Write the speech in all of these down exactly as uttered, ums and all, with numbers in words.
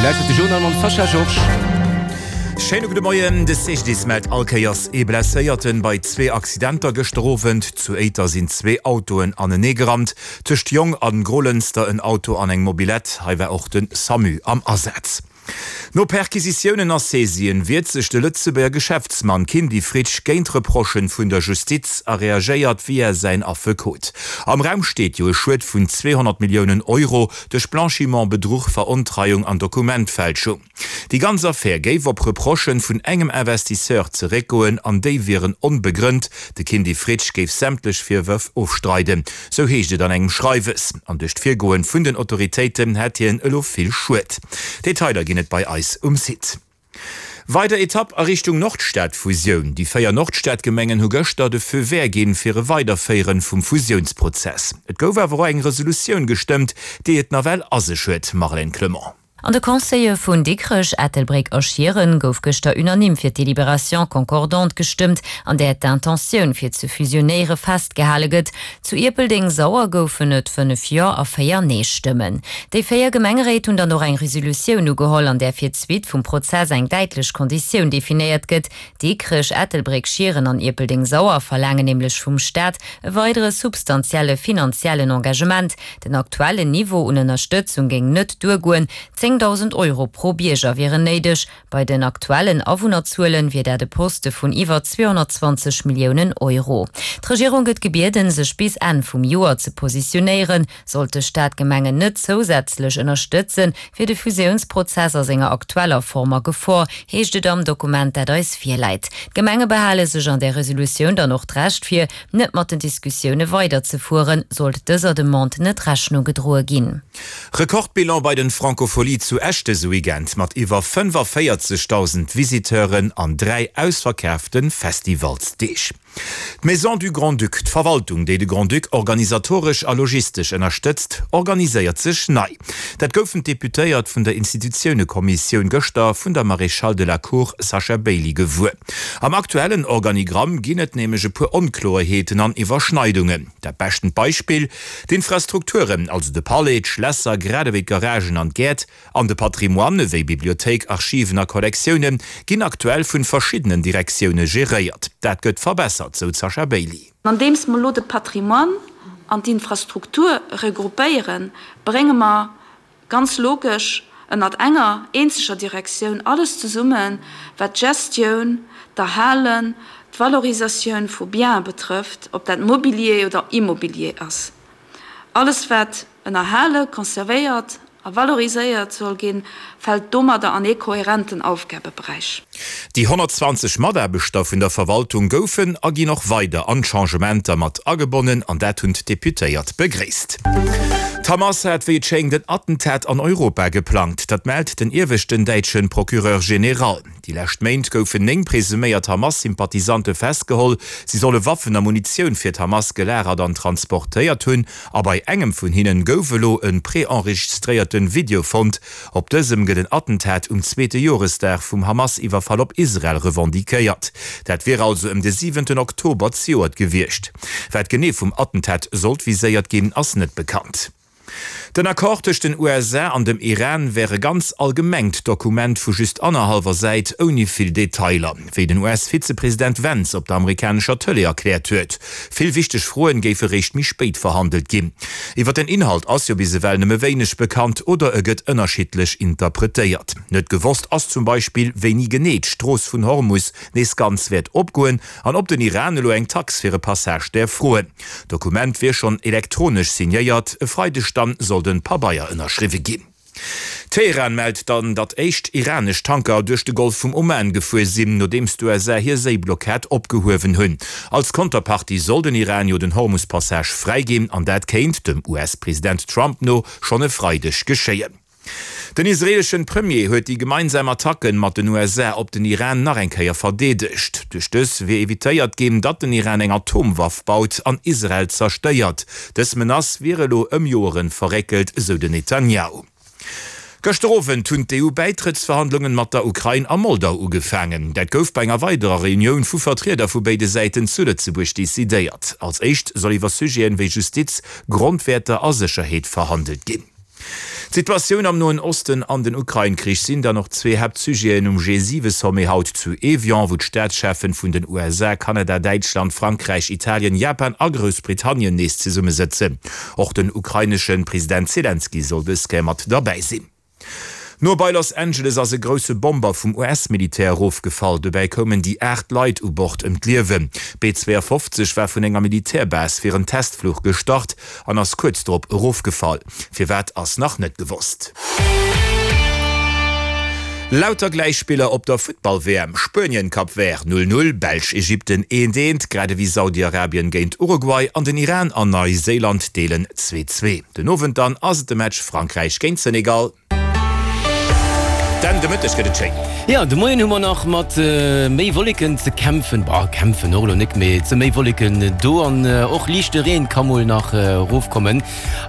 Dir lauschtert de Journal mam Sascha Georges. Schéine gudde Moien, De C G D I S mellt all Kéiers ee Blesséierten bei zwee Accidenter gëschter Owend. Zu Éiter sinn zwee Autoen anenee gerannt. Tëscht Jong an Grolënster en Auto an eng Mobilette. Hei war och de SAMU am Asaz. No Perquisitiounen a Saisien wiert sech de Lëtzebuerger Geschäftsmann Kindy Fritsch géint Reprochen vun der Justiz a reagéiert via säin Affekot. Am Raum steet jo e Schued vun zweehonnert Milliounen Euro duerch Blanchiment, Bedruch, Verontreiung an Dokumentfälschung. Déi ganz Affär géif op Reprochen vun engem Investisseur zeréckgoen an déi wieren onbegrënnt. De Kindy Fritsch géif sämtlech Virwërf ofstreiden, sou heescht et an engem Schreiwes. An duerch d'Virgoen vun den Autoritéiten hätt hien elo vill Schued. Detailer ginn et bei eis um Site. Weider Etapp a Richtung Nordstad-Fusioun, Déi véier Nordstad-Gemengen hu gëschter de Feu vert ginn fir e Weiderféiere vum Fusiounsprozess. Et gouf awer och eng Resolutioun gestëmmt, déi et nawell a sech huet, Marlène Clement. An de Conseile vun Dikrech, Ettelbréck a Schieren gouf gëschter unanime fir d'Délibération concordante gestëmmt, an där d'Intentioun fir ze fusionéiere festgehale gëtt. Zu Ierpeldeng-Sauer goufen et fënnef Jo a véier Nee-Stëmmen. Déi véier Gemengeréit hunn dann och eng Resolutioun ugeholl, an där fir d'Suite vum Prozess eng däitlech Konditioun definéiert gëtt. Dikrech, Ettelbréck, Schieren an Ierpeldeng-Sauer verlaangen nämlech vum Staat e weidere substantielle finanziellen Engagement. Den aktuellen Niveau un Ënnerstëtzung géing net duergoen, zéngdausend Euro pro Bierger wieren néideg. Bei den aktuellen Awunnerzuelen wier dat e Poste vun iwwer zweehonnertzwanzeg Milliounen Euro. D'Regierung gëtt gebieden, sech bis Enn vum Joer ze positionéieren. Sollt de Staat d'Gemengen net zousätzlech ënnerstëtzen, wier de Fusiounsprozess a senger aktueller Form a Gefor, heescht et am Dokument, dat eis virläit. D'Gemenge behale sech an där Resolutioun dann och d'Recht vir, net mat den Diskussioune weiderzefueren, sollt dëser Demande net Rechnung gedroe ginn. Rekordbilan bei den Francofolies zu Esch dëse Weekend mat iwwer fënnefavéierzegdausend Visiteuren an dräi ausverkaafte Festivalsdeeg. D'Maison du Grand-Duc, d'Verwaltung, déi de Grand-Duc organisatoresch a logistesch ënnerstëtzt, organiséiert sech nei. Dat goufen d'Deputéiert vun der Institutiounekommissioun gëschter vun der Maréchale de la Cour Sasha Bailey gewuer. Am aktuellen Organigramm ginn et nämlech e puer Onkloerheeten an Iwwerschneidungen. Dat beschten Beispill, D'Infrastrukturen, also de Palais, d'Schlässer, grad ewéi d'Garagen an d'Gäert, an de Patrimoine wéi Bibliothéik, Archiven a Kollektioune ginn aktuell vu verschiddenen Direktioune geréiert. Dat gëtt verbessert, sou d'Sasha Bailey. Andeems mer elo de Patrimoine an d'Infrastruktur regroupéieren, brénge mer ganz logesch ënnert enger eenzeger Direktioun alles zesummen, wat d'Gestioun, d'Erhalen, d'Valorisatioun vu Biene betrëfft, ob dat Mobilier oder Immobilier ass. Alles wat ënnerhale, conservéiert a valoriséiert soll ginn, fält domadder an ee kohärenten Aufgabeberäich. Déi honnertzwanzeg Mataarbechter vun der Verwaltung goufen a ginn och weider an d'Changementer mat agebonnen an dat hunn d'Deputéiert begréisst. D'Hamas hat wéi et schéngt en Attentat an Europa geplangt. Dat mellt den ieweschten däitsche Procureur général. Déi lescht Méint goufen néng presuméiert Hamas-Sympathisante festgeholl. Si solle Waffen a Munitioun fir d'Hamas gelagert an transportéiert hunn. A bei engem vun hinnen gouf elo e preenregistréierte Video fonnt. Op dësem gëtt en Attentat um zweete Joresdag vum Hamas-Iwwerfall op Israel revendiquéiert. Dat wier also ëm de siwenten Oktober zejoert gewiescht. Wat genee vum Attentat sollt viséiert ginn, ass net bekannt. Den Accord tëscht den U S A an dem Iran wär e ganz allgemengt Dokument vu just annerhallwer Säit ouni vill Detailer, wéi den U S-Vizepresident Vance op der amerikanescher Tëlee erkläert huet. Vill wichteg Froen géife réischt méi spéit verhandelt ginn. Iwwer den Inhalt ass jo bis ewell nëmme wéineg bekannt oder e gëtt ënnerschiddlech interpretéiert. Net gewosst ass zum Beispill, wéini genee d'Strooss vun Hormus nees ganz wäert opgoen an ob den Iran elo eng Tax fir e Passage däerf froen. D'Dokument wier schonn elektronesch signéiert, e Freideg dann soll den Pabeier ënnerschriwwe ginn. Teheran mellt dann, datt éischt iranesch Tanker duerch de Golf vum Oman gefuer sinn, nodeems d'U S A hir Séiblockad opgehuewen hunn. Als Konterpartie soll den Iran jo den Hormus-Passage fräiginn, an dat kéint, dem U S-President Trump no, schonn e Freideg geschéien. Den israeeleschen Premier huet déi gemeinsam Attacken mat den U S A op den Iran nach eng Kéier verdeedegt. Duerch dës wier evitéiert ginn, datt den Iran eng Atomwaff baut an Israel zerstéiert. Dës Menace wier elo ëm Joeren verréckelt, esou den Netanjahu. Gëschter Owend hunn d'E U-Bäitrëttsverhandlungen mat der Ukrain a Moldau ugefaangen. Dat gouf bei enger weiderer Reunioun vu Vertrieder vu béide Säiten zu Lëtzebuerg decidéiert. Als éischt soll iwwer Sujeten wéi Justiz, Grondwäerter a Sécherheet verhandelt ginn. D'Situatioun am Noen Osten an den Ukrain-Krich sinn dann och zwee Haaptsujeten um G siwe Sommet haut zu Evian, wou d'Staatscheffen vun den U S A, Kanada, Däitschland, Frankräich, Italien, Japan a Groussbritannien nees zesummesëtzen. Och den ukrainesche President Selenskyj soll dës Kéier mat derbäi sinn. No bei Los Angeles ass e grousse Bomber vum U S-Militär erofgefall. Dobäi koumen déi aacht Leit u Bord ëm d'Liewen. B zwouafofzeg war vun enger Militärbase fir en Testfluch gestart an ass kuerz drop erofgefall. Firwat ass nach net gewosst. Lauter Gläichspiller op der Futtball-W M, Spuenien, Cap Vert null, null, Belsch, Ägypten eent, eent, grad ewéi Saudi-Arabien géint Uruguay an den Iran an Neiséiland deelen zwee, zwee. Den Owend dann ass et de Match Frankräich géint Senegal. Dann de Mëtteg gëtt et schéin. Jo, de Moien hu mer nach mat méi Wolleken ze kämpfen, bah, kämpfen och elo nik, mee et si méi Wolleken do an och liichte Reen ka mol nach erofkommen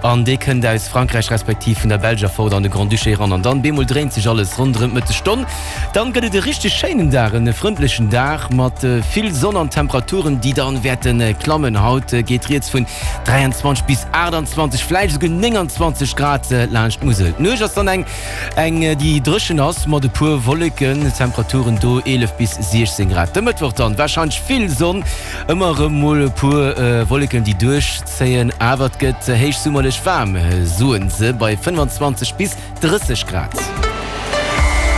an dee kënnt aus Frankräich respektiv vun der Belsch erfort an de Grand-Duché eran an dann bemol dréint sech alles ronderëm d'Mëttesstonn. Dann gëtt et e richteg schéinen Dag, en frëndlechen Dag mat vill Sonn an Temperaturen, déi dann wäerte klammen. Haut geet rieds vun dräianzwanzeg bis aachtanzwanzeg, vläicht esouguer nénganzwanzeg Grad laanscht d'Musel. D'Nuecht ass dann eng, eng déi dréchen ass mat e puer Wolleken, Temperaturen do eelef bis siechzéng Grad. De Mëttwoch dann warscheinlech vill Sonn, ëmmer erëm mol e puer Wolleken déi duerchzéien, awer et gëtt héichsummerlech waarm, soen se, bei fënnfanzwanzeg bis drësseg Grad.